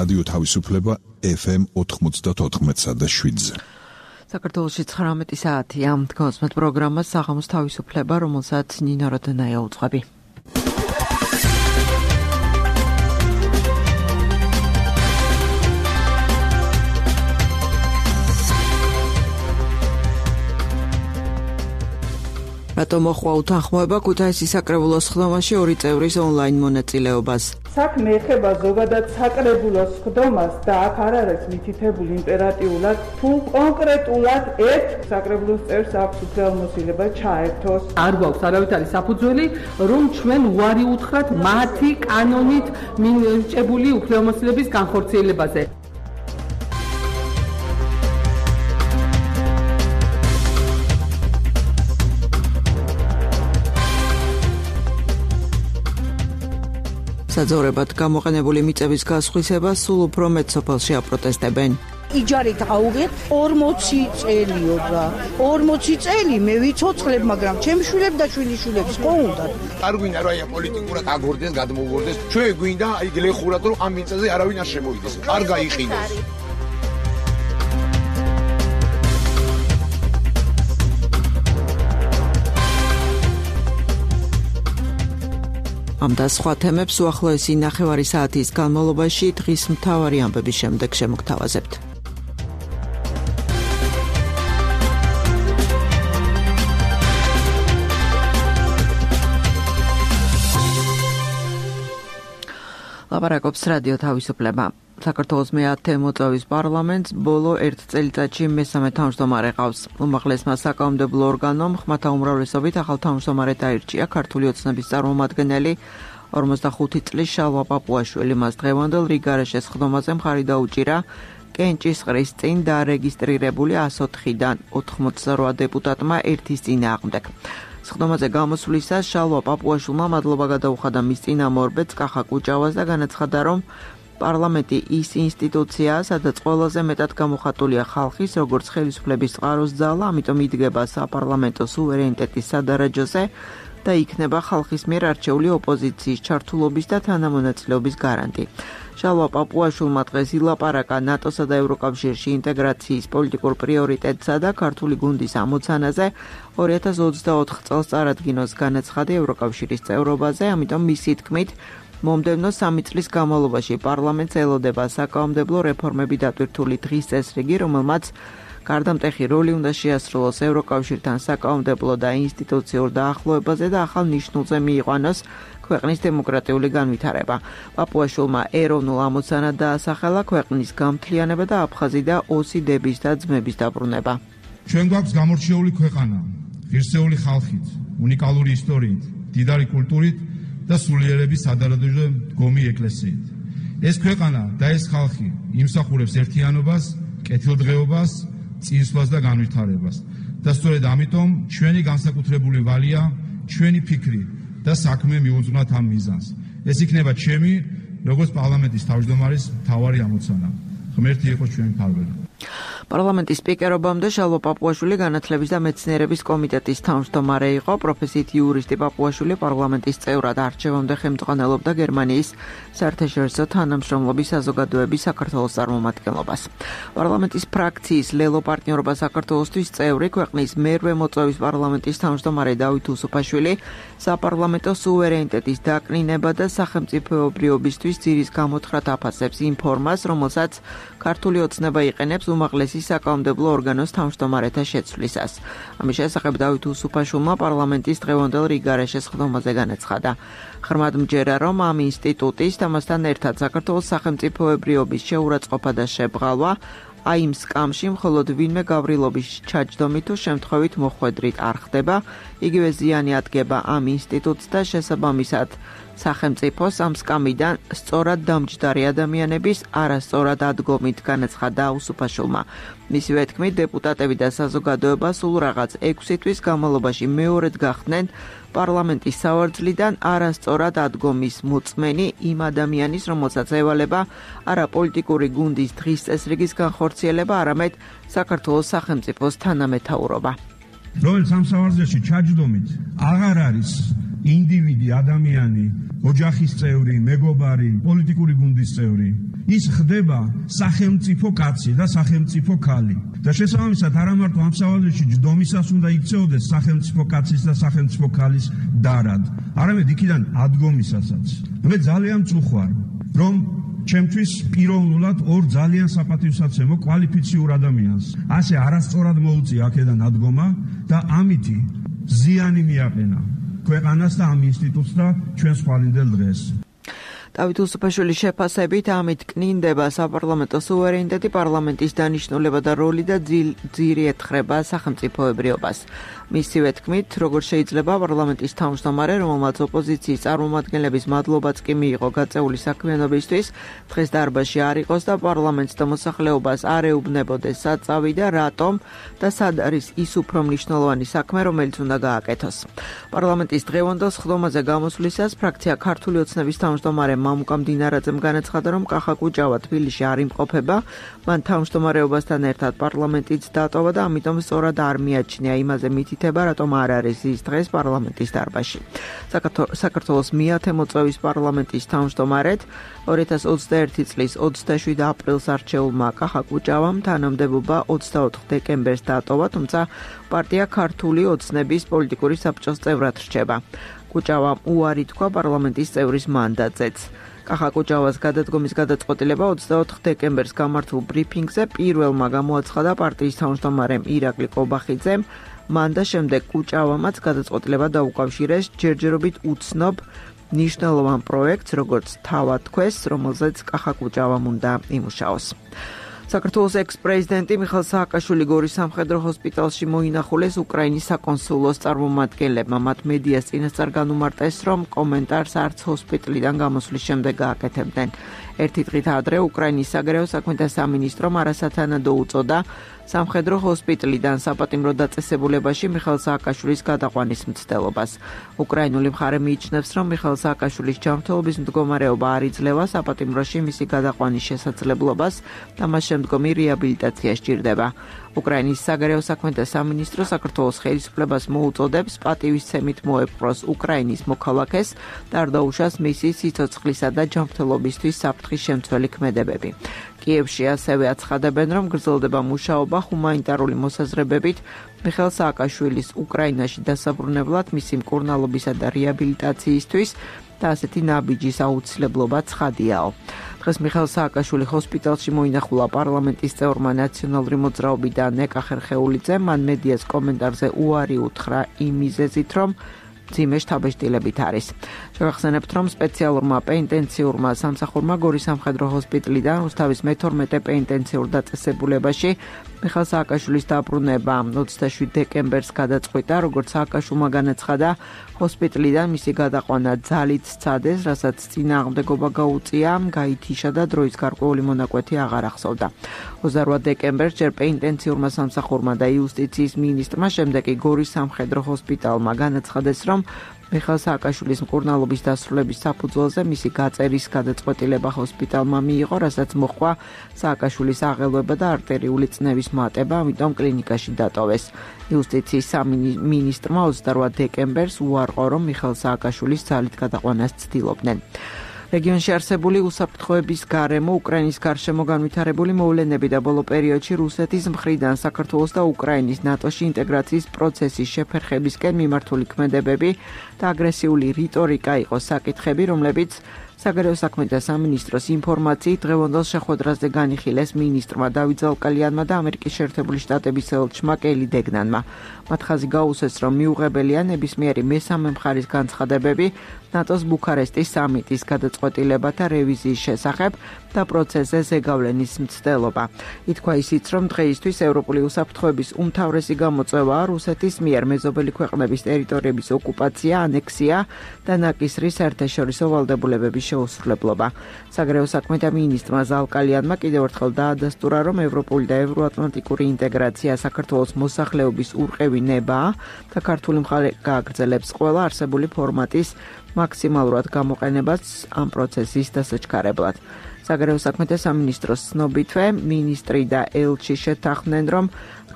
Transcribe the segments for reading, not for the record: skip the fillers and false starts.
რადიო თავისუფლება FM 94.7-ზე. საქართველოში 19 საათია. Თქვენს პროგრამას საღამოს თავისუფლება, რომელსაც ნინო როდონაია უძღვები. რატომ მოხვა უთანხმოება ქუთაისის საკრებულოს ხდომაში 2 წევრის ონლაინ მონაწილეობას? საქმე ეხება ზოგადად საკრებულოს ხდომას და აქ არ არის მითითებული იმპერატიულად, თუ კონკრეტულად ერთ საკრებულოს წევრს აქვს უფლებამოსილება ჩაერთოს. არ გვაქვს არავითარი საფუძველი, რომ ჩვენ უარი უთხრათ მათი კანონით მინიჭებული უფლებამოსილების განხორციელებაზე. საძოვრებად გამოყენებული მიწების გასხვისება სულ უფრო მეტ სოფელში აპროტესტებენ. იჯარით ავიღეთ 40 წელიობა. 40 წელი მე ვიცოცხლებ, მაგრამ ჩემ შვილებს და შვილიშვილებს ხო უნდათ. არ გვინდა რომ აი პოლიტიკურად აგორდეს, გადმოგვორდეს. ჩვენ გვინდა აი გლეხურად რომ ამ მიწაზე არავინ არ შემოვიდეს. არ გაიყინოს. ამ და სხვა თემებს უახლოესი ნახევარი საათის განმავლობაში დღის მთავარი ამბების შემდეგ შემოგთავაზებთ. ლაპარაკობს რადიო თავისუფლება. საქართველოს მე-10 მოწვევის პარლამენტს ბოლო 1 წელიწადში მესამე თავმჯდომარე ყავს. უმაღლესმა საკანონმდებლო ორგანომ ხმათა უმრავლესობით ახალ თავმჯდომარედ აირჩია ქართული ოცნების წარმომადგენელი 45 წლის შალვა პაპუაშვილი. მას დღევანდელ რიგარეშეს ხდომაზე მხარი დაუჭირა კენჭისყრის წინ დარეგისტრირებული 104-დან 88 დეპუტატმა ერთის წინააღმდეგ. ხდომაზე გამოსვლისას შალვა პაპუაშვილმა მადლობა გადაუხადა მის წინამორბედს კახა კუჭავას და განაცხადა, რომ პარლამენტი ის ინსტიტუციაა, სადაც ყველაზე მეტად გამოხატულია ხალხის, როგორც ხელისუფლების წყაროს ძალა, ამიტომ იდგება საპარლამენტო სუვერენიტეტის სადარაჯოზე და იქნება ხალხის მიერ არჩეული ოპოზიციის ჩართულობის და თანამონაწილეობის გარანტი. შალვა პაპუაშვილმა დღეს ილაპარაკა ნატოსა და ევროკავშირში ინტეგრაციის პოლიტიკურ პრიორიტეტსა და ქართული გუნდის ამოცანაზე 2024 წელს წარადგინოს განაცხადი ევროკავშირის წევრობაზე, ამიტომ მისი თქმით მომდევნო 3 წლის განმავლობაში პარლამენტს ელოდება საკანონმდებლო რეფორმები დატვირთული დღის წესრიგი, რომელმაც გარდამტეხი როლი უნდა შეასრულოს ევროკავშირთან საკანონმდებლო და ინსტიტუციურ დაახლოებაზე და ახალ ნიშნულზე მიიყვანოს ქვეყნის დემოკრატიული განვითარება. პაპუაშვილმა ეროვნულ ამოცანად დაასახელა ქვეყნის გამთლიანება და აფხაზი და ოსიდების და ძმების დაბრუნება. ჩვენ გვაქვს გამორჩეული ქვეყანა, ღირსეული ხალხით, უნიკალური ისტორიით, მდიდარი კულტურით და სულიერების სადარაჯო დგომი ეკლესიით. ეს ქვეყანა და ეს ხალხი იმსახურებს ერთიანობას, კეთილდღეობას, წინსვლას და განვითარებას. და სწორედ ამიტომ ჩვენი განსაკუთრებული ვალია, ჩვენი ფიქრი და საქმე მიუძღვნათ ამ მიზანს. ეს იქნება ჩემი, როგორც პარლამენტის თავმჯდომარის მთავარი ამოცანა. ღმერთი იყოს ჩვენი მფარველი. პარლამენტის სპიკერობამდე შალვა პაპუაშვილი განათლების და მეცნიერების კომიტეტის თავმჯდომარე იყო. პროფესიით იურისტი პაპუაშვილი პარლამენტის წევრად არჩევამდე ხელმძღვანელობდა გერმანიის საერთაშორისო თანამშრომლობის საზოგადოების საქართველოს წარმომადგენლობას. პარლამენტის ფრაქციის ლელო პარტნიორობა საქართველოსთვის წევრი ქვეყნის მერვე მოწვევის პარლამენტის თავმჯდომარე დავით უსუფაშვილი საპარლამენტო სუვერენიტეტის დაკნინება და სახელმწიფოებრიობისთვის ძირის გამოთხრათ აფასებს იმ ფორმას, რომელსაც ქართული ოცნება იყენებს უმაღლესი საკანონმდებლო ორგანოს თავმჯდომარეთა შეცვლისას. ამის შესახებ დავით უსუფაშვილმა პარლამენტის დღევანდელ რიგარეშეს ხდომაზე განაცხადა. ხმად მჯერა, რომ ამ ინსტიტუტის ამასთან ერთად საქართველოს სახელმწიფოებრიობის შეურაცხყოფა და შებღალვა აი იმ სკამში მხოლოდ ვინმე გავრილობის ჩაჯდომით თუ შემთხვევით მოხვედრით არ ხდება, იგივე ზიანი ადგება ამ ინსტიტუტს და შესაბამისად სახელმწიფოს ამ სკამიდან სწორად დამჯდარი ადამიანების არასწორად ადგომით განაცხადა უსუფაშვილმა. მისივე თქმით, დეპუტატები და საზოგადოება სულ რაღაც 6 თვის განმავლობაში მეორედ გახდნენ პარლამენტის სავარძლიდან არასწორად ადგომის მოწმენი იმ ადამიანის, რომელსაც ევალება არა პოლიტიკური გუნდის დღის წესრიგის განხორციელება, არამედ საქართველოს სახელმწიფოს თანამეთაურობა. რომელიც ამ სავარძელში ჩაჯდომით აღარ არის ინდივიდი, ადამიანი, ოჯახის წევრი, მეგობარი, პოლიტიკური გუნდის წევრი. ის ხდება სახელმწიფო კაცი და სახელმწიფო ქალი. და შესაბამისად არა მარტო ამ სავალებში ჯდომისას უნდა იქცეოდეს სახელმწიფო კაცის და სახელმწიფო ქალის დარად, არამედ იქიდან ადგომისასაც. მე ძალიან წუხვარ, რომ ჩემთვის პიროვნულად ორ ძალიან საპატივსაცემო კვალიფიციურ ადამიანს ასე არასწორად მოუწია აქედან ადგომა და ამითი ზიანი მიაყენა ქვეყანას და ამ ინსტიტუტს და ჩვენს ხვალინდელ დღეს. დავით უსუფაშვილის შეფასებით ამით კნინდება საპარლამენტო სუვერენიტეტი, პარლამენტის დანიშნულება და როლი და ძირი ეთხრება სახელმწიფოებრიობას. მისივე თქმით, როგორ შეიძლება პარლამენტის თავმჯდომარე, რომელმაც ოპოზიციის წარმომადგენლების მადლობაც კი მიიღო გაწეული საქმიანობისთვის, დღეს დარბაზში არ იყოს და პარლამენტს და მოსახლეობას არ ეუბნებოდეს სად წავიდა, რატომ და სად არის ის უფრო მნიშვნელოვანი საქმე, რომელიც უნდა გააკეთოს. პარლამენტის დღევანდელ სხდომაზე გამოსვლისას ფრაქცია ქართული ოცნების თავმჯდომარე მამუკა მდინარაძემ განაცხადა, რომ კახა კუჭავა თბილისში არ იმყოფება, მან თავმჯდომარეობასთან ერთად პარლამენტიც დატოვა და ამიტომ სწორად არ მიაჩნია იმაზე მითითება, რატომ არ არის ის დღეს პარლამენტის დარბაზში. საქართველოს მე-10 მოწვევის პარლამენტის თავმჯდომარედ 2021 წლის 27 აპრილს არჩეულმა კახა კუჭავამ თანამდებობა 24 დეკემბერს დატოვა, თუმცა პარტია ქართული ოცნების პოლიტიკური საბჭოს წევრად რჩება. კუჭავამ უარი თქვა პარლამენტის წევრის მანდატზეც. კახა კუჭავას გადადგომის გადაწყვეტილება 24 დეკემბერს გამართულ ბრიფინგზე პირველმა გამოაცხადა პარტიის თავმჯდომარემ ირაკლი კობახიძემ, მან და შემდეგ კუჭავამაც გადაწყვეტილება დაუკავშირეს ჯერჯერობით უცნობ მნიშვნელოვან პროექტს, როგორც თავად თქვეს, რომელზეც კახა კუჭავამ უნდა იმუშაოს. საქართველოს ექს-პრეზიდენტი მიხეილ სააკაშვილი გორის სამხედრო ჰოსპიტალში მოინახულეს უკრაინის საკონსულოს წარმომადგენლებმა. მათ მედიას წინასწარ განუმარტეს, რომ კომენტარს არც ჰოსპიტალიდან გამოსვლის შემდეგ გააკეთებდნენ. ერთი დღით ადრე უკრაინის საგარეო საქმეთა სამინისტრომ არასათანადო უწოდა სამხედრო ჰოსპიტალიდან საპატიმრო დაწესებულებაში მიხეილ სააკაშვილის გადაყვანის მცდელობას. უკრაინული მხარე მიიჩნევს, რომ მიხეილ სააკაშვილის ჯანმრთელობის მდგომარეობა არ იძლევა საპატიმროში მისი გადაყვანის შესაძლებლობას და მას შემდგომი რეაბილიტაცია სჭირდება. უკრაინის საგარეო საქმეთა სამინისტრო საქართველოს ხელისუფლებას მოუწოდებს პატივისცემით მოეპყროს უკრაინის მოქალაქეს და არ დაუშვას მისი სიცოცხლისა და ჯანმრთელობისთვის საფრთხის შემცველი ქმედებები. კიევში ასევე აცხადებენ, რომ გრძელდება მუშაობა ჰუმანიტარული მოსაზრებებით მიხეილ სააკაშვილის უკრაინაში დასაბრუნებლად, მისი მკურნალობისა და რეაბილიტაციისთვის და ასეთი ნაბიჯის აუცილებლობა ცხადიაო. დღეს მიხეილ სააკაშვილი ჰოსპიტალში მოინახულა პარლამენტის წევრმა ნაციონალური მოძრაობიდან ნეკა ხერხეულიძემ, მან მედიას კომენტარზე უარი უთხრა იმ მიზეზით, რომ მძიმე შთაბეჭდილებით არის. შევახსენებთ, რომ სპეციალურმა პენიტენციურმა სამსახურმა გორის სამხედრო ჰოსპიტალიდან რუსთავის მე-12 პენიტენციურ დაწესებულებაში მიხეილ სააკაშვილის დაბრუნება 27 დეკემბერს გადაწყვიტა, როგორც სააკაშვილმა განაცხადა, ჰოსპიტალიდან მისი გადაყვანა ძალით სცადეს, რასაც წინააღმდეგობა გაუწია, გაითიშა და დროის გარკვეული მონაკვეთი აღარ ახსოვდა. 28 დეკემბერს ჯერ პენიტენციურმა სამსახურმა და იუსტიციის მინისტრმა, შემდეგ კი გორის სამხედრო ჰოსპიტალმა განაცხადეს, რომ მიხეილ სააკაშვილის მკურნალობის დასრულების საფუძველზე მისი გაწერის გადაწყვეტილება ჰოსპიტალმა მიიღო, რასაც მოჰყვა სააკაშვილის აღელვება და არტერიული წნევის მატება, ამიტომ კლინიკაში დატოვეს. იუსტიციის სამინისტრმა 28 დეკემბერს უარყო, რომ მიხეილ სააკაშვილის ძალით გადაყვანას ცდილობდნენ. რეგიონში არსებული უსაფრთხოების გარემო, უკრაინის გარშემო განვითარებული მოვლენები და ბოლო პერიოდში რუსეთის მხრიდან საქართველოს და უკრაინის ნატოში ინტეგრაციის პროცესის შეფერხებისკენ მიმართული ქმედებები და აგრესიული რიტორიკა იყო საკითხები, რომლებიც საგარეო საქმეთა სამინისტროს ინფორმაციით დღევანდელ შეხვედრაზე განიხილეს მინისტრმა დავით ზალკალიანმა და ამერიკის შეერთებული შტატების ელჩმა კელი დეგნანმა. მათ ხაზი გაუსვეს, რომ მიუღებელია ნებისმიერი მესამე მხარის განცხადებები ნატოს ბუქარესტის სამიტის გადაწყვეტილებათა რევიზიის შესახებ და პროცესზე ზეგავლენის მცდელობა. ითქვა ისიც, რომ დღეისთვის ევროპული უსაფრთხოების უმთავრესი გამოწვევაა რუსეთის მიერ მეზობელი ქვეყნების ტერიტორიების ოკუპაცია, ანექსია და ნაკისრის საერთაშორისო ვალდებულებების შეუსრულებლობა. საგარეო საქმეთა მინისტრმა ზალკალიანმა კიდევ ერთხელ დაადასტურა, რომ ევროპული და ევროატლანტიკური ინტეგრაცია საქართველოს მოსახლეობის ურყევი ნებაა და ქართული მხარე გააგრძელებს ყველა არსებული ფორმატის მაქსიმალურად გამოყენებას ამ პროცესის დასაჩქარებლად. საგარეო საქმეთა სამინისტროს ცნობითვე, მინისტრი და ელჩი შეთანხმდნენ, რომ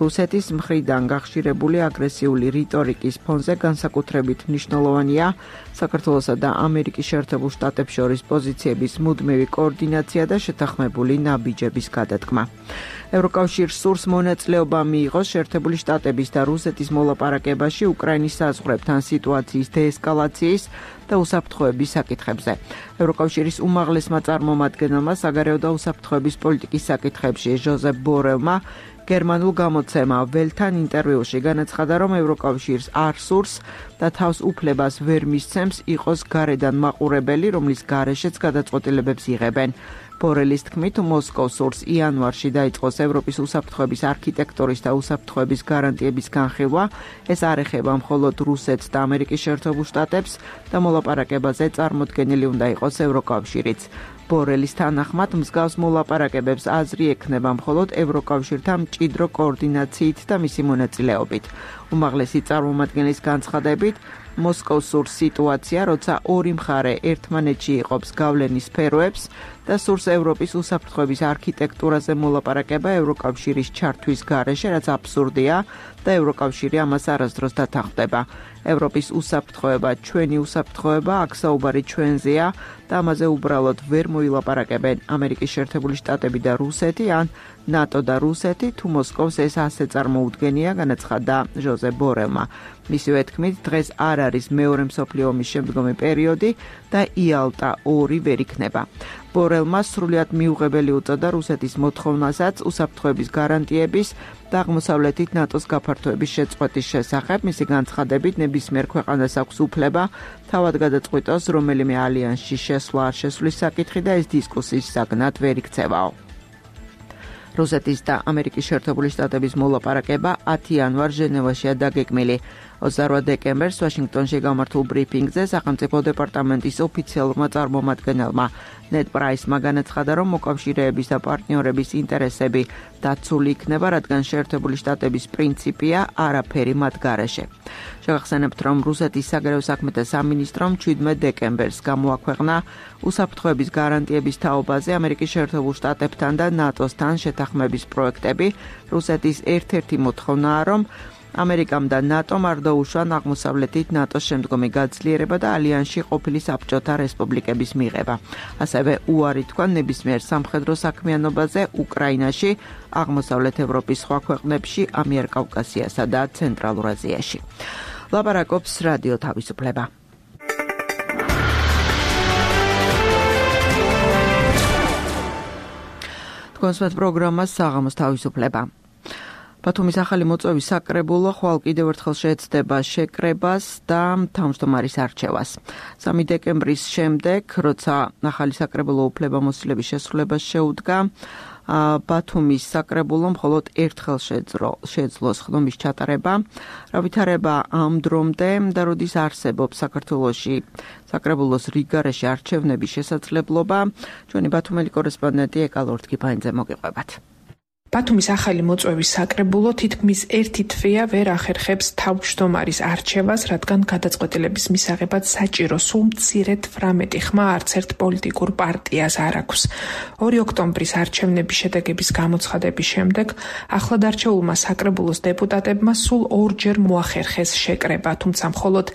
რუსეთის მხრიდან გახშირებული აგრესიული რიტორიკის ფონზე განსაკუთრებით მნიშვნელოვანია საქართველოსა და ამერიკის შეერთებულ შტატებს შორის პოზიციების მუდმივი კოორდინაცია და შეთანხმებული ნაბიჯების გადადგმა. ევროკავშირს სურს მონაწილეობა მიიღოს შეერთებული შტატების და რუსეთის მოლაპარაკებაში უკრაინის საზღვრებთან სიტუაციის დეესკალაციის და უსაფრთხოების საკითხებზე. ევროკავშირის უმაღლესმა წარმომადგენელმა საგარეო და უსაფრთხოების პოლიტიკის საკითხებში ჟოზეფ ბორელმა გერმანულ გამოცემა ველთან ინტერვიუში განაცხადა, რომ ევროკავშირს არ სურს და თავს უფლებას ვერ მისცემს იყოს გარედან მაყურებელი, რომლის გარეშეც გადაწყვეტილებებს იღებენ. ბორელის თქმით, მოსკოვს სურს იანვარში დაიწყოს ევროპის უსაფრთხოების არქიტექტურის და უსაფრთხოების გარანტიების განხილვა. ეს არ ეხება მხოლოდ რუსეთს და ამერიკის შეერთებულ შტატებს და მოლაპარაკებაზე წარმოდგენილი უნდა იყოს ევროკავშირიც. ბორელის თანახმად, მსგავს მოლაპარაკებებს აზრი ექნება მხოლოდ ევროკავშირთან მჭიდრო კოორდინაციით და მისი მონაწილეობით. უმაღლესი წარმომადგენლის განცხადებით, მოსკოვს სურს სიტუაცია, როცა ორი მხარე ერთმანეთში იყოფს გავლენის სფეროებს და სურს ევროპის უსაფრთხოების არქიტექტურაზე მოლაპარაკება ევროკავშირის ჩართვის გარეშე, რაც აბსურდია და ევროკავშირი ამას არასდროს დათანხმდება. ევროპის უსაფრთხოება, ჩვენი უსაფრთხოება, აქ საუბარი ჩვენზეა და ამაზე უბრალოდ ვერ მოილაპარაკებენ ამერიკის შეერთებული შტატები და რუსეთი ან ნატო და რუსეთი, თუ მოსკოვს ეს ასე წარმოუდგენია, განაცხადა ჟოზეფ ბორელმა. მისივე თქმით, დღეს არ არის მეორე მსოფლიო ომის შემდგომი პერიოდი და იალტა 2 ვერ იქნება. ბორელმა სრულიად მიუღებელი უწოდა რუსეთის მოთხოვნასაც უსაფრთხოების გარანტიების და აღმოსავლეთით ნატოს გაფართოების შეწყვეტის შესახებ. მისი განცხადებით, ნებისმიერ ქვეყანას აქვს უფლება თავად გადაწყვიტოს რომელიმე ალიანსში შესვლა არ შესვლის საკითხი და ეს დისკუსიის საგნად ვერ იქცევაო. რუსეთის და ამერიკის შეერთებული შტატების მოლაპარაკება 10 იანვარს ჟენევაშია დაგეგმილი. 28 დეკემბერს ვაშინგტონში გამართულ ბრიფინგზე სახელმწიფო დეპარტამენტის ოფიციალურმა წარმომადგენელმა ნედ პრაისმა განაცხადა, რომ მოკავშირეების და პარტნიორების ინტერესები დაცული იქნება, რადგან შეერთებული შტატების პრინციპია არაფერი მათ გარეშე. შევახსენებთ, რომ რუსეთის საგარეო საქმეთა სამინისტრომ 17 დეკემბერს გამოაქვეყნა უსაფრთხოების გარანტიების თაობაზე ამერიკის შეერთებულ შტატებთან და ნატოსთან შეთანხმების პროექტები. რუსეთის ერთ-ერთი მოთხოვნაა, რომ ამერიკამ და ნატომ არ დაუშვან აღმოსავლეთით ნატოს შემდგომი გაძლიერება და ალიანსში ყოფილი საბჭოთა რესპუბლიკების მიღება. ასევე უარი თქვა ნებისმიერ სამხედრო საქმიანობაზე უკრაინაში, აღმოსავლეთ ევროპის სხვა ქვეყნებში, ამიერკავკასიასა და ცენტრალურ აზიაში. ლაპარაკობს რადიო თავისუფლება. თქვენს პროგრამას საღამოს თავისუფლება. ბათუმის ახალი მოწვევის საკრებულო ხვალ კიდევ ერთხელ შეეცდება შეკრებას და თავმჯდომარის არჩევას. 3 დეკემბრის შემდეგ, როცა ახალი საკრებულო უფლებამოსილების შესრულებას შეუდგა, ბათუმის საკრებულომ მხოლოდ ერთხელ შეძლო ხდომის ჩატარება. რა ვითარება ამ დრომდე და როდის არსებობს საქართველოში საკრებულოს რიგგარეშე არჩევნების შესაძლებლობა, ჩვენი ბათუმელი კორესპონდენტი ეკალორ თქიფანიძე მოგიყვებათ. ბათუმის ახალი მოწვევის საკრებულო თითქმის ერთი თვეა ვერ ახერხებს თავმჯდომარის არჩევას, რადგან გადაწყვეტილების მისაღებად საჭირო სულ მცირედ 18 ხმა არც ერთ პოლიტიკურ პარტიას არ აქვს. 2 ოქტომბრის არჩევნების შედეგების გამოცხადების შემდეგ ახლად არჩეულმა საკრებულოს დეპუტატებმა სულ 2 ჯერ მოახერხეს შეკრება, თუმცა მხოლოდ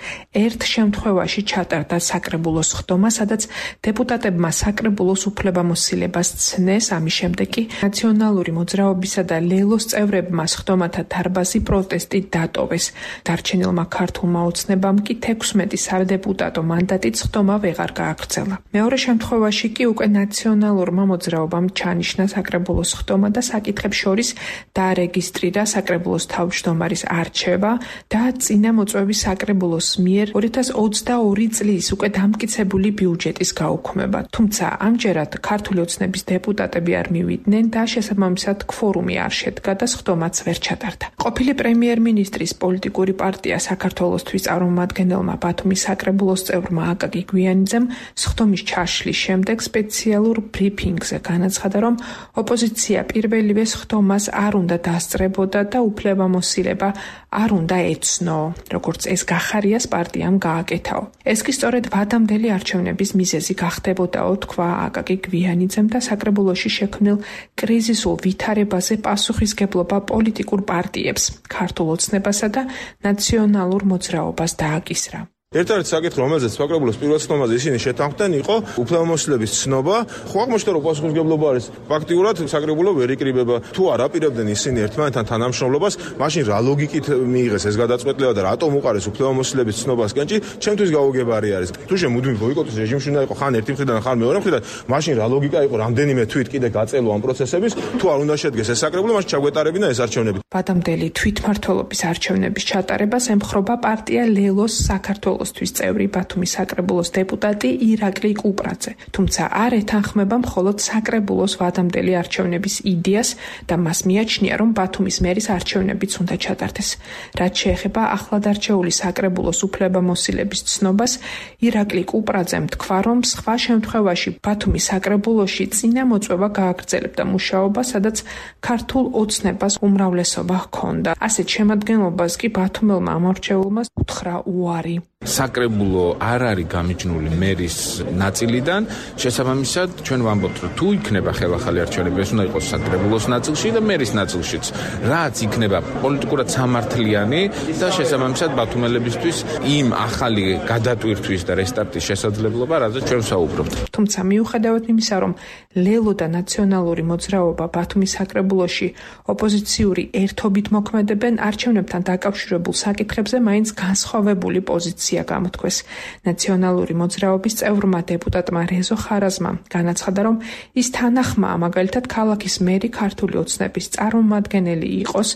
ერთ შემთხვევაში ჩატარდა საკრებულოს ხდომა, სადაც დეპუტატებმა საკრებულოს უფლებამოსილებას ცნეს, ამის შემდეგ კი ნაციონალური მოძრაობისა და ლელოს წევრებმა ხდომათა დარბაზი პროტესტით დატოვეს. დარჩენილმა ქართულმა ოცნებამ კი 16 სადეპუტატო მანდატით ხდომა ვეღარ გააგრძელა. მეორე შემთხვევაში კი უკვე ნაციონალურმა მოძრაობამ ჩანიშნა საკრებულოს ხდომა და საკითხებს შორის დაარეგისტრირა საკრებულოს თავმჯდომარის არჩევა და წინა მოწვევის საკრებულოს მიერ 2022 წლის უკვე დამტკიცებული ბიუჯეტის გაუქმება. თუმცა ამჯერად ქართული ოცნების დეპუტატები არ მივიდნენ და შესაბამისად ქვორუმი არ შედგა და სხდომაც ვერ ჩატარდა. ყოფილი პრემიერ-მინისტრის პოლიტიკური პარტია საქართველოსთვის წარმომადგენელმა ბათუმის საკრებულოს წევრმა აკაკი გვიანიძემ სხდომის ჩაშლის შემდეგ სპეციალურ ბრიფინგზე განაცხადა, რომ ოპოზიცია პირველივე სხდომას არ უნდა დასწრებოდა და უფლებამოსილება არ უნდა ეცნო, როგორც ეს გახარიას პარტიამ გააკეთაო. ეს კი სწორედ ვადამდელი არჩევნების მიზეზი გახდებოდაო, თქვა აკაკი გვიანიძემ და საკრებულოში შექმნილ კრიზისულ ვითარებაზე პასუხისგებლობა პოლიტიკურ პარტიებს, ქართულ ოცნებასა და ნაციონალურ მოძრაობას დააკისრა. ერთ-ერთი საკითხი, რომელზეც საკრებულოს პირველ სხდომაზე ისინი შეთანხმდნენ, იყო უფლებამოსილების ცნობა. ხო აღმოჩნდა, რომ პასუხისმგებლობა არის ფაქტიურად საკრებულო ვერ იკრიბება. თუ არ აპირებდნენ ისინი ერთმანეთთან თანამშრომლობას, მაშინ რა ლოგიკით მიიღეს ეს გადაწყვეტილება და რატომ უყარეს უფლებამოსილების ცნობასკენ? ჩემთვის გაუგებარი არის. თუ შემუდმივ ბოიკოტის რეჟიმში უნდა იყო ხან ერთი მხრიდან, ხან მეორე მხრიდან, მაშინ რა ლოგიკა იყო რამდენიმე თვით კიდე გაწელო ამ პროცესების, თუ არ უნდა შედგეს ეს საკრებულო, მაშინ ჩაგვეტარებინა ეს არჩევნები. ვადამდელი თვითმმართველობის არჩევნების ჩატარებას ემხრობა პარტია ლელოს საქართველოს წევრი ბათუმის საკრებულოს დეპუტატი ირაკლი კუპრაძე, თუმცა არ ეთანხმება მხოლოდ საკრებულოს ვადამდელი არჩევნების იდეას და მას მიაჩნია, რომ ბათუმის მერის არჩევნებიც უნდა ჩატარდეს. რაც შეეხება ახლადარჩეული საკრებულოს უფლებამოსილების ცნობას, ირაკლი კუპრაძემ თქვა, რომ სხვა შემთხვევაში ბათუმის საკრებულოში წინა მოწვევა გააგრძელებდა მუშაობა, სადაც ქართულ ოცნებას უმრავლესობა ჰქონდა. ასეთ შემადგენლობას კი ბათუმელმა ამორჩეულმა უთხრა უარი. საკრებულო არ არის გამიჯნული მერის ნაწილიდან, შესაბამისად ჩვენ ვამბობთ, რომ თუ იქნება ხელახალი არჩევნები, ეს უნდა იყოს საკრებულოს ნაწილში და მერის ნაწილშიც. რაც იქნება პოლიტიკურად სამართლიანი და შესაბამისად ბათუმელებისთვის იმ ახალი გადატვირთვის და რესტარტის შესაძლებლობა, რაზეც ჩვენ ვსაუბრობთ. თუმცა მიუხედავად იმისა, რომ ლელო და ნაციონალური მოძრაობა ბათუმის საკრებულოში ოპოზიციური ერთობით მოქმედებენ, არჩევნებთან დაკავშირებულ საკითხებზე მაინც განსხვავებული პოზიცია გამოთქვეს. ნაციონალური მოძრაობის წევრმა დეპუტატმა რეზო ხარაზმამ განაცხადა, რომ ის თანახმაა მაგალითად ქალაქის მერი ქართული ოცნების წარმომადგენელი იყოს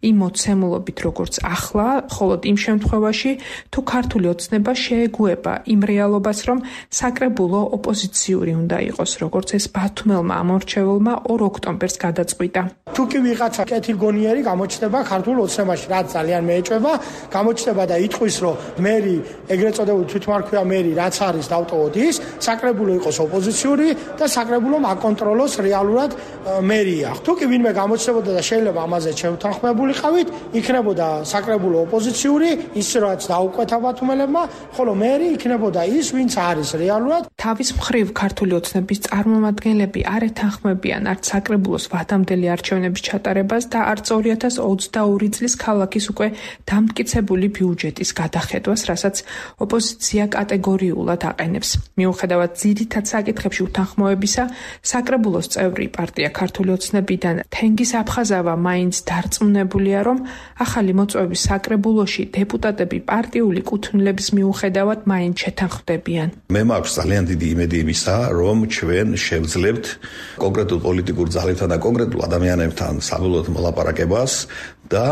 იმ მოცემულობით, როგორც ახლა, ხოლო იმ შემთხვევაში, თუ ქართული ოცნება შეეგუება იმ რეალობას, რომ საკრებულო ოპოზიციური უნდა იყოს, როგორც ეს ბათუმელმა ამორჩეულმა 2 ოქტომბერს გადაწყვიტა. თუ კი ვიღაცა კეთილგონიერი გამოჩნდება ქართულ ოცნებაში, რაც ძალიან მეეჭვება, გამოჩნდება და იტყვის, რომ მერი ეგრეთ წოდებული თვითმარქვია მერი რაც არის დავტოვოთ ის, საკრებულო იყოს ოპოზიციური და საკრებულომ აკონტროლოს რეალურად მერია. თუ კი ვინმე გამოჩნდებოდა და შეიძლება ამაზე შევთანხმებულიყავით, იქნებოდა საკრებულო ოპოზიციური, ის რაც დაუკვეთა ბათუმელებმა, ხოლო მერი იქნებოდა ის, ვინც არის რეალურად. თავის მხრივ ქართული ოცნების წარმომადგენლები არ ეთანხმებიან არც საკრებულოს ვადამდელი არჩევნების ჩატარებას და არც 2022 წლის ქალაქის უკვე დამტკიცებული ბიუჯეტის გადახედვას, რასაც ოპოზიცია კატეგორიულად აყენებს. მიუხედავად ძირითად საკითხებში უთანხმოებისა, საკრებულოს წევრი პარტია ქართული ოცნებიდან თენგის აფხაზავა მაინც დარწმუნებულია, რომ ახალი მოწვევის საკრებულოში დეპუტატები პარტიული კუთვნილების მიუხედავად მაინც შეთანხმდებიან. მე მაქვს ძალიან დიდი იმედი იმისა, რომ ჩვენ შევძლებთ კონკრეტულ პოლიტიკურ ძალებთან და კონკრეტულ ადამიანებთან საბოლოოდ მოლაპარაკებას და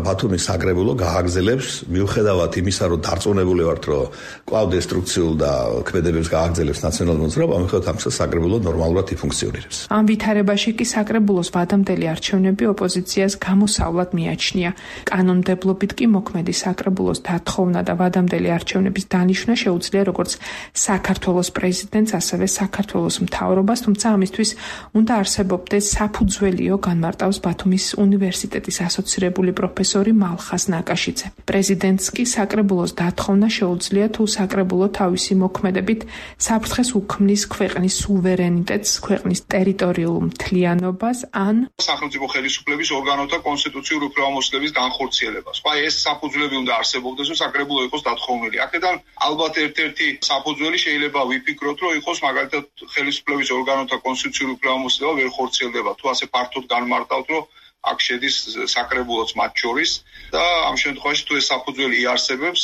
ბათუმის საკრებულო გააგრძელებს მიუხედავად იმისა, რომ დარწმუნებული ვართ, რომ კვლავ დესტრუქციულ და ქმედებებს გააგრძელებს ნაციონალური მოძრაობა, მიუხედავად ამისა საკრებულო ნორმალურად იფუნქციონირებს. ამ ვითარებაში კი საკრებულოს ვადამდელი არჩევნები ოპოზიციას გამოსავლად მიაჩნია. კანონმდებლობით კი მოქმედი საკრებულოს დათხოვნა და ვადამდელი არჩევნების დანიშვნა შეუძლია როგორც საქართველოს პრეზიდენტს, ასევე საქართველოს მთავრობას, თუმცა ამისთვის უნდა არსებობდეს საფუძველიო, განმარტავს ბათუმის უნივერსიტეტის ასოცირებული პროფესორი მალხაზ ნაკაშიძე. პრეზიდენტს კი საკრებულოს დათხოვნა შეუძლია, თუ საკრებულო თავისი მოქმედებით საფრთხეს უქმნის ქვეყნის სუვერენიტეტს, ქვეყნის ტერიტორიულ მთლიანობას ან სახელმწიფო ხელისუფლების ორგანოთა კონსტიტუციურ უფლებამოსილების განხორციელებას. ეს საფუძვლები უნდა არსებობდეს, რომ საკრებულო იყოს დათხოვნილი. აქედან ალბათ ერთ-ერთი საფუძველი შეიძლება ვიფიქროთ, რომ იყოს მაგალითად ხელისუფლების ორგანოთა კონსტიტუციური უფლებამოსილება ვერ ხორციელდება. თუ ასე ფართოდ განმარტავთ, რომ აქ შედის საკრებულოც მათ შორის და ამ შემთხვევაში თუ ეს საფუძველი იარსებებს,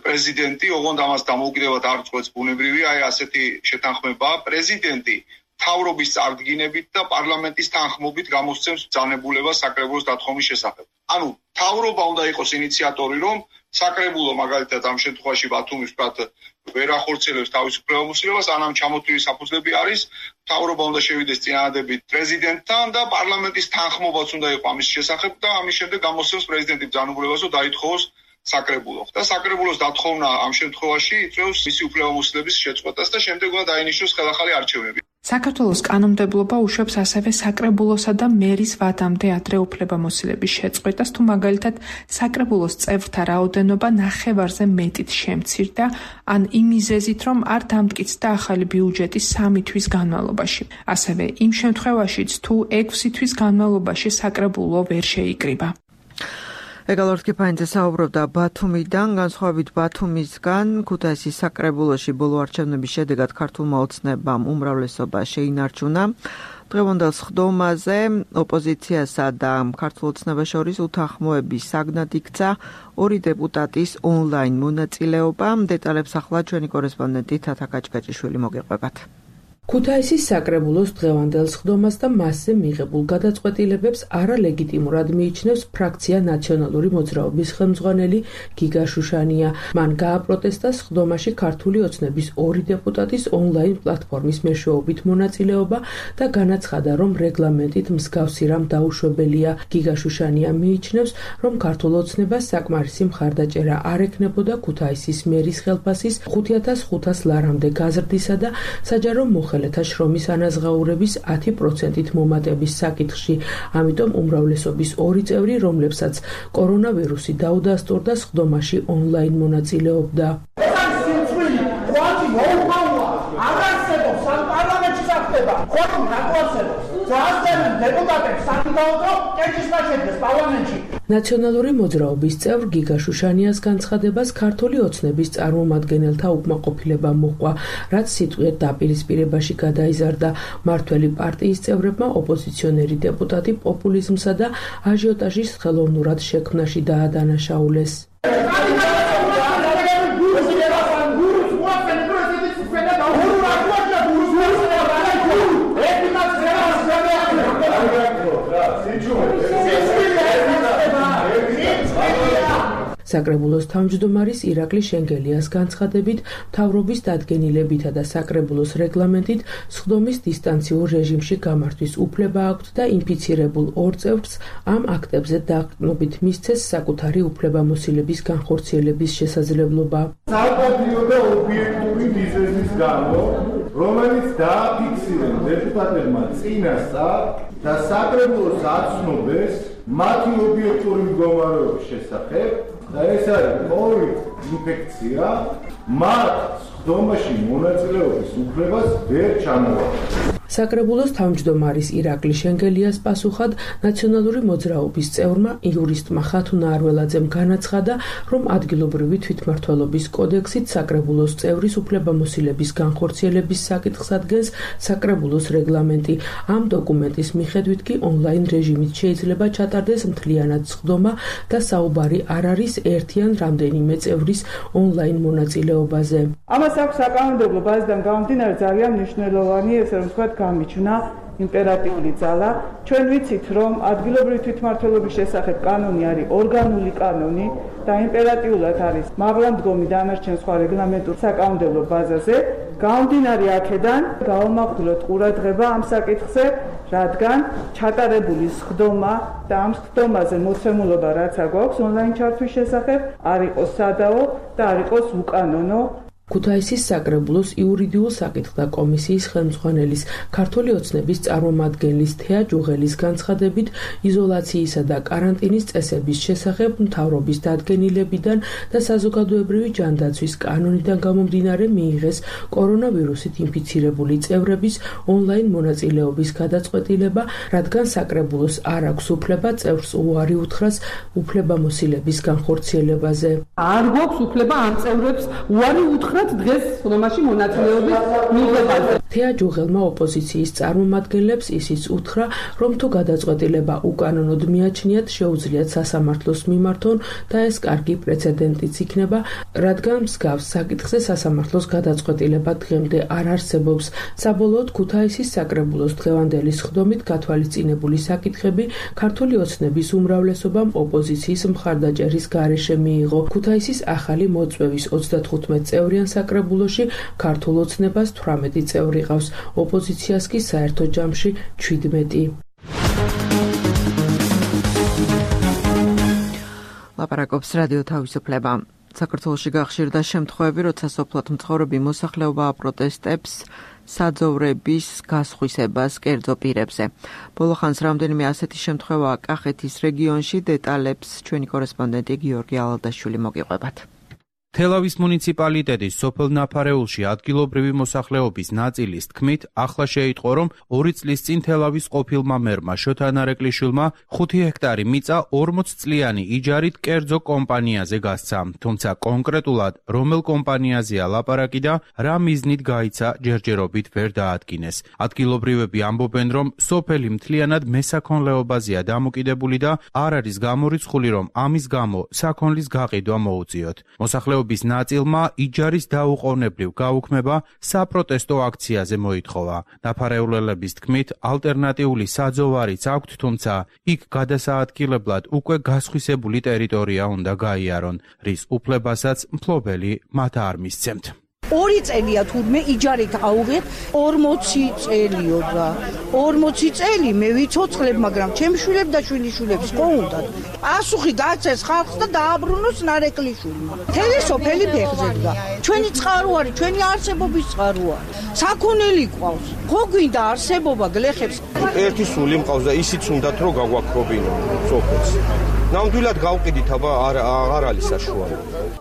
პრეზიდენტი, ოღონდ ამას დამოუკიდებლად არ წყვეტს ბუნებრივია, ასეთი შეთანხმება, პრეზიდენტი მთავრობის წარდგინებით და პარლამენტის თანხმობით გამოსცემს ბრძანებულებას საკრებულოს დათხოვნის შესახებ. ანუ მთავრობა უნდა იყოს ინიციატორი, რომ საკრებულო მაგალითად ამ შემთხვევაში ბათუმის ვთქვათ ვერ ახორციელებს თავის უფლებამოსილებას, ანამ ჩამოთვლილი საფუძვლები არის, მთავრობა უნდა შევიდეს წინადადებით პრეზიდენტთან და პარლამენტის თანხმობაც უნდა იყოს ამის შესახებ და ამის შემდეგ გამოსცემს პრეზიდენტი ბრძანებულებას, რომ დაითხოვოს საკრებულო. და საკრებულოს დათხოვნა ამ შემთხვევაში იწვევს მისი უფლებამოსილების შეწყვეტას და შემდეგ უნდა დაინიშნოს ხელახალი არჩევნები. საქართველოს კანონმდებლობა უშვებს ასევე საკრებულოსა და მერის ვადამდე ადრე უფლებამოსილების შეწყვეტას, თუ მაგალითად საკრებულოს წევრთა რაოდენობა ნახევარზე მეტით შემცირდა, ან იმ მიზეზით, რომ არ დამტკიცდა ახალი ბიუჯეტი 3 თვის განმავლობაში. ასევე იმ შემთხვევაშიც, თუ 6 თვის განმავლობაში საკრებულო ვერ შეიკრიბა. ეგალორთ კიფაინძე საუბრობდა ბათუმიდან, განსხვავებით ბათუმისგან, ქუთაისის საკრებულოში ბოლო არჩევნების შედეგად ქართულმა ოცნებამ უმრავლესობა შეინარჩუნა. დღევანდელ სხდომაზე ოპოზიციასა და ქართულ ოცნებას შორის უთანხმოების საგნად იქცა 2 დეპუტატის ონლაინ მონაწილეობა. დეტალებს ახლა ჩვენი კორესპონდენტი თათა კაჭკაჭიშვილი მოგეყვებათ. ქუთაისის საკრებულოს დღევანდელ სხდომას და მასზე მიღებულ გადაწყვეტილებებს არალეგიტიმურად მიიჩნევს ფრაქცია ნაციონალური მოძრაობის ხელმძღვანელი გიგა შუშანია. მან გააპროტესტა სხდომაში ქართული ოცნების 2 დეპუტატის ონლაინ პლატფორმის მეშვეობით მონაწილეობა და განაცხადა, რომ რეგლამენტით მსგავსი რამ დაუშვებელია. გიგა შუშანია მიიჩნევს, რომ ქართულ ოცნებას საკმარისი მხარდაჭერა არ ექნებოდა ქუთაისის მერის ხელფასის 5500 ლარამდე გაზრდისა და საჯარო მოხელეთა შრომის ანაზღაურების 10%-ით მომატების საკითხში. ამიტომ უმრავლესობის 2 წევრი, რომლებსაც კორონავირუსი დაუდასტურდა, სხდომაში ონლაინ მონაწილეობდა. ნაციონალური მოძრაობის წევრ გიგა შუშანიას განცხადებას ქართული ოცნების წარმომადგენელთა უკმაყოფილება მოჰყვა, რაც სიტყვიერ დაპირისპირებაში გადაიზარდა. მართველი პარტიის წევრებმა ოპოზიციონერი დეპუტატი პოპულიზმსა და აჟიოტაჟის ხელოვნურად შექმნაში დაადანაშაულეს. საკრებულოს თავმჯდომარის ირაკლი შენგელიას განცხადებით, მთავრობის დადგენილებითა და საკრებულოს რეგლამენტით სხდომის დისტანციურ რეჟიმში გამართვის უფლება აქვთ და ინფიცირებულ 2 წევრს ამ აქტებზე დაყრდნობით მისცეს საკუთარი უფლებამოსილების განხორციელების შესაძლებლობა. საპატიო და ობიექტური მიზეზის გამო, რომელიც დააფიქსირეს დეპუტატებმა წინასწარ და საკრებულოს აცნობეს მათი ობიექტური მდგომარეობის შესახებ, და ეს არის COVID ინფექცია, მათ სხდომაში მონაწილეობის უფლებას ვერ ჩამოაყენეს. საკრებულოს თავმჯდომარის ირაკლი შენგელიას პასუხად ნაციონალური მოძრაობის წევრმა იურისტმა ხათუნა არველაძემ განაცხადა, რომ ადგილობრივი თვითმმართველობის კოდექსით საკრებულოს წევრის უფლებამოსილების განხორციელების საკითხს ადგენს საკრებულოს რეგლამენტი. ამ დოკუმენტის მიხედვით კი ონლაინ რეჟიმით შეიძლება ჩატარდეს მთლიანად სხდომა და საუბარი არ არის ერთი ან რამდენიმე წევრის ონლაინ მონაწილეობაზე. ამას აქვს საკანონმდებლო ბაზიდან გამომდინარე ძალიან მნიშვნელოვანი, ესე რომ ვთქვათ, გამიჩნდა იმპერატიული ძალა. ჩვენ ვიცით, რომ ადგილობრივი თვითმმართველობის შესახებ კანონი არის ორგანული კანონი და იმპერატიულად არის მაღლა მდგომი დანარჩენ სხვა რეგლამენტურ საკანონმდებლო ბაზაზე. გამომდინარე აქედან გავამახვილოთ ყურადღება ამ საკითხზე, რადგან ჩატარებული სხდომა და ამ სხდომაზე მოცემულობა რაც აქვს ონლაინ ჩართვის შესახებ არ იყოს სადაო და არ იყოს უკანონო. ქუთაისის საკრებულოს იურიდიულ საკითხთა კომისიის ხელმძღვანელის ქართული ოცნების წარმომადგენლის თეა ჯუღელის განცხადებით, იზოლაციისა და კარანტინის წესების შესახებ მთავრობის დადგენილებიდან და საზოგადოებრივი ჯანდაცვის კანონიდან გამომდინარე მიიღეს კორონავირუსით ინფიცირებული წევრების ონლაინ მონაწილეობის გადაწყვეტილება, რადგან საკრებულოს არ აქვს უფლება წევრს უარი უთხრას უფლებამოსილების განხორციელებაზე. არ გვაქვს უფლება ამ წევრებს უარი უთხრას უთხრათ დღეს რომაში მონაწილეობის მიღებაზე. თეა ჯუღელმა ოპოზიციის წარმომადგენლებს ისიც უთხრა, რომ თუ გადაწყვეტილება უკანონოდ მიაჩნიათ, შეუძლიათ სასამართლოს მიმართონ და ეს კარგი პრეცედენტიც იქნება, რადგან მსგავს საკითხზე სასამართლოს გადაწყვეტილება დღემდე არ არსებობს. საბოლოოდ ქუთაისის საკრებულოს დღევანდელი სხდომით გათვალისწინებული საკითხები ქართული ოცნების უმრავლესობამ ოპოზიციის მხარდაჭერის გარეშე მიიღო. ქუთაისის ახალი მოწვევის 35 წევრიან საკრებულოში ქართულ ოცნებას 18 წევრი ყავს, ოპოზიციას კი საერთო ჯამში 17. ლაპარაკობს რადიო თავისუფლება. საქართველოში გახშირდა შემთხვევები, როცა სოფლად მცხოვრები მოსახლეობა აპროტესტებს საძოვრების გასხვისებას კერძო პირებზე. ბოლო ხანს რამდენიმე ასეთი შემთხვევაა კახეთის რეგიონში, დეტალებს ჩვენი კორესპონდენტი გიორგი ალადაშვილი მოგიყვებათ. თელავის მუნიციპალიტეტის სოფელ ნაფარეულში ადგილობრივი მოსახლეობის ნაწილის თქმით, ახლა შეიტყო, რომ 2 წლის წინ თელავის ყოფილმა მერმა შოთა ნარეკლიშვილმა 5 ჰექტარი მიწა 40 წლიანი იჯარით კერძო კომპანიაზე გასცა. თუმცა კონკრეტულად რომელ კომპანიაზეა ლაპარაკი და რა მიზნით გაიცა, ჯერჯერობით ვერ დაადგინეს. ადგილობრივები ამბობენ, რომ სოფელი მთლიანად მესაქონლეობაზეა დამოკიდებული და არ არის გამორიცხული, რომ ამის გამო საქონლის გაყიდვა მოუწიოთ. მოსახლეობის ნაწილმა იჯარის დაუყოვნებლივ გაუქმება საპროტესტო აქციაზე მოითხოვა. ნაფარეულელების თქმით, ალტერნატიული საძოვარიც აქვთ, თუმცა იქ გადასაადგილებლად უკვე გასხვისებული ტერიტორია უნდა გაიარონ, რის უფლებასაც მფლობელი მათ არ მისცემთ. 2 წელია თურმე იჯარით აუღეთ 40 წელიო რა 40 წელი მე ვიცოცხლებ, მაგრამ ჩემი შვილები და შვილიშვილებს ხო უნდათ პასუხი გაცეს ხალხს და დააბრუნოს ნარეკლიშვილმა. მთელი სოფელი ფეხზე დგა. ჩვენი წყარო არის, ჩვენი არსებობის წყაროა. საქონელი ყავს. ხო გვინდა არსებობა გლეხებს. ერთი სული მყავს და ისიც უნდათ რომ გაგვაქრობინო სოფელს. ნამდვილად გავყიდით, აბა არ არის საშუალო.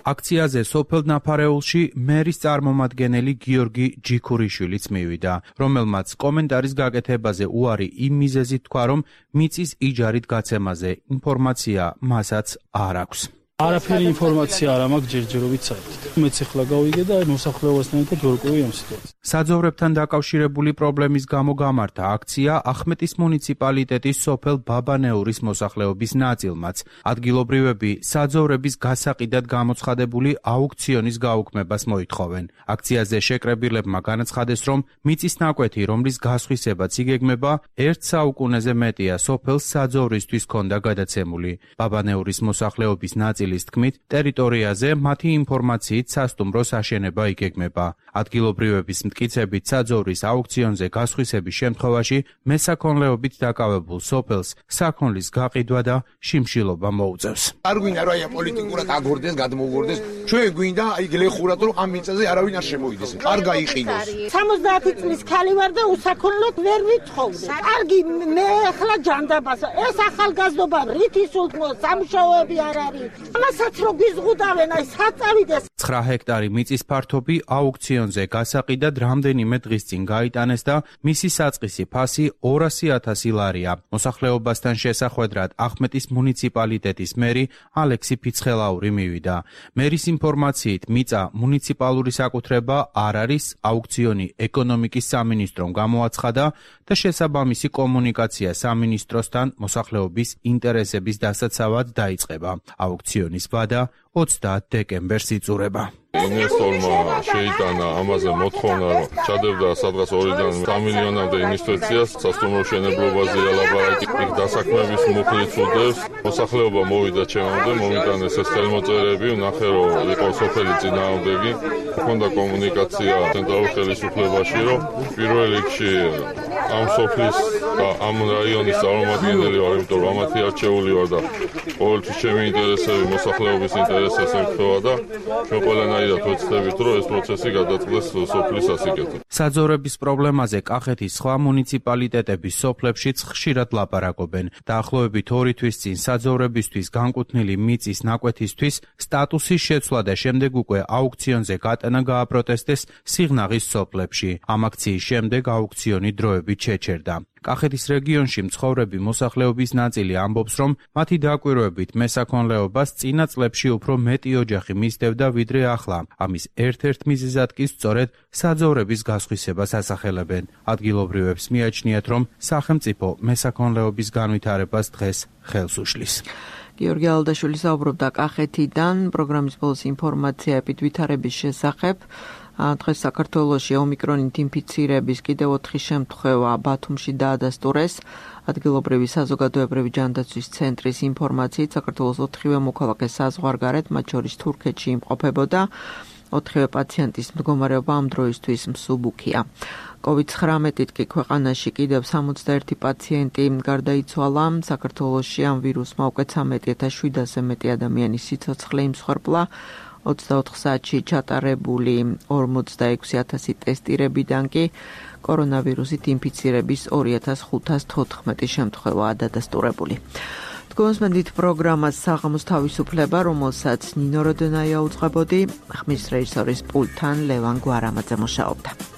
აქციაზე სოფელ ნაფარეულში მერის წარმომადგენელი გიორგი ჯიქურიშვილიც მივიდა, რომელმაც კომენტარის გაკეთებაზე უარი იმ მიზეზით თქვა, რომ მიწის იჯარით გაცემაზე ინფორმაცია მასაც არ აქვს. არაფერი ინფორმაცია არ მაქვს ჯერჯერობით საერთოდ. მეც ახლა გავიგე და მოსახლეობასთან ერთად ვერკვევი ამ სიტუაციას. საძოვრებთან დაკავშირებული პრობლემის გამო გამართა აქცია ახმეტის მუნიციპალიტეტის სოფელ ბაბანეურის მოსახლეობის ნაწილმაც. ადგილობრივები საძოვრების გასაყიდად გამოცხადებული აუქციონის გაუქმებას მოითხოვენ. აქციაზე შეკრებილებმა განაცხადეს, რომ მიწის ნაკვეთი, რომლის გასხვისებაც იგეგმება, 1 საუკუნეზე მეტია სოფელს საძოვრისთვის ჰქონდა გადაცემული. ბაბანეურის მოსახლეობის ნაწილის თქმით, ტერიტორიაზე მათი ინფორმაციით სასტუმროს აშენება იგეგმება. ადგილობრივების მტკიცებით საძოვრის აუქციონზე გასხვისების შემთხვევაში მესაქონლეობით დაკავებულ სოფელს საქონლის გაყიდვა და შიმშილობა მოუწევს. არ გვინდა რომ აი პოლიტიკურად აგორდეს, გადმოუგორდეს. ჩვენ გვინდა აი გლეხურად რომ ამ მიწაზე არავინ არ შემოვიდეს. არ გაიყიდოს. 70 წლის ქალი ვარ და უსაქონლოდ ვერ ვიცხოვდი. კარგი მე ახლა ჯანდაბასა. ეს ახალგაზრდობა რითი სულთმო სამუშაოები არ არის. ამასაც რო გიზღუდავენ აი საწავიდეს. 9 ჰექტარი მიწის ფართობი აუქციონზე გასაყიდად რამდენიმე დღის წინ გაიტანეს და მისი საწყისი ფასი 200.000 ლარია. მოსახლეობასთან შესახვედრად ახმეტის მუნიციპალიტეტის მერი ალექსი ფიცხელაური მივიდა. მერის ინფორმაციით მიწა მუნიციპალური საკუთრება არ არის, აუქციონი ეკონომიკის სამინისტრომ გამოაცხადა და შესაბამისი კომუნიკაცია სამინისტროსთან მოსახლეობის ინტერესების დასაცავად დაიწყება. აუქციონის ვადა 30 დეკემბერს იწურება. ინვესტორმა შეიტანა ამაზე მოთხოვნა, რომ ჩადებდა სადღაც 2-დან 3 მილიონამდე ინვესტიციას სასტუმრო მშენებლობაზე ლაპარაკი დასაქმების მუხლით უდევს. მოსახლეობა მოვიდა ჩემამდე, მომიტანეს ეს ხელმოწერები, ვნახე რომ იყო სოფელი წინააღმდეგი. ჰქონდა კომუნიკაცია ცენტრალურ ხელისუფლებაში, რომ პირველ რიგში ამ სოფლის და ამ რაიონის წარმომადგენელი ვარ, იმიტომ რომ ამათი არჩეული ვარ და ყოველთვის ჩემი ინტერესები მოსახლეობის ინტერესებს ემთხვევა და ჩვენ ყველანაირად ვეცდებით, რომ ეს პროცესი გადაწყდეს სოფლის სასიკეთოდ. საძოვრების პრობლემაზე კახეთის სხვა მუნიციპალიტეტების სოფლებშიც ხშირად ლაპარაკობენ. დაახლოებით 2 თვის წინ საძოვრებისთვის განკუთვნილი მიწის ნაკვეთისთვის სტატუსის შეცვლა და შემდეგ უკვე აუქციონზე გატანა გააპროტესტეს სიღნაღის სოფლებში. ამ აქციის შემდეგ აუქციონი დროებით შეჩერდა. კახეთის რეგიონში მცხოვრები მოსახლეობის ნაწილი ამბობს, რომ მათი დაკვირვებით მესაქონლეობას წინა წლებში უფრო მეტი ოჯახი მისდევდა ვიდრე ახლა. ამის ერთ-ერთ მიზეზად კი სწორედ საძოვრების გასხვისებას ასახელებენ. ადგილობრივებს მიაჩნიათ, რომ სახელმწიფო მესაქონლეობის განვითარებას დღეს ხელს უშლის. გიორგი ალდაშვილი საუბრობდა კახეთიდან პროგრამის ბოლოს ინფორმაცია ეპიდვითარების შესახებ. დღეს საქართველოში ომიკრონით ინფიცირების კიდევ 4 შემთხვევა ბათუმში დაადასტურეს. ადგილობრივი საზოგადოებრივი ჯანდაცვის ცენტრის ინფორმაციით საქართველოს 4-ვე მოქალაქე საზღვარგარეთ, მათ შორის თურქეთში იმყოფებოდა. 4-ვე პაციენტის მდგომარეობა ამ დროისთვის მსუბუქია. COVID-19-ით კი ქვეყანაში კიდევ 61 პაციენტი გარდაიცვალა. საქართველოში ამ ვირუსმა უკვე 13,700-ზე მეტი ადამიანის სიცოცხლე იმსხვერპლა. 24 საათში ჩატარებული 46,000 ტესტირებიდან კი კორონავირუსით ინფიცირების 2514 შემთხვევაა დადასტურებული. გონსმენდით პროგრამას საღამოს თავისუფლება, რომელსაც ნინო როდენაია უძღვებოდი, ხმის რეჟისორის პულტთან ლევან გვარამაძე მუშაობდა.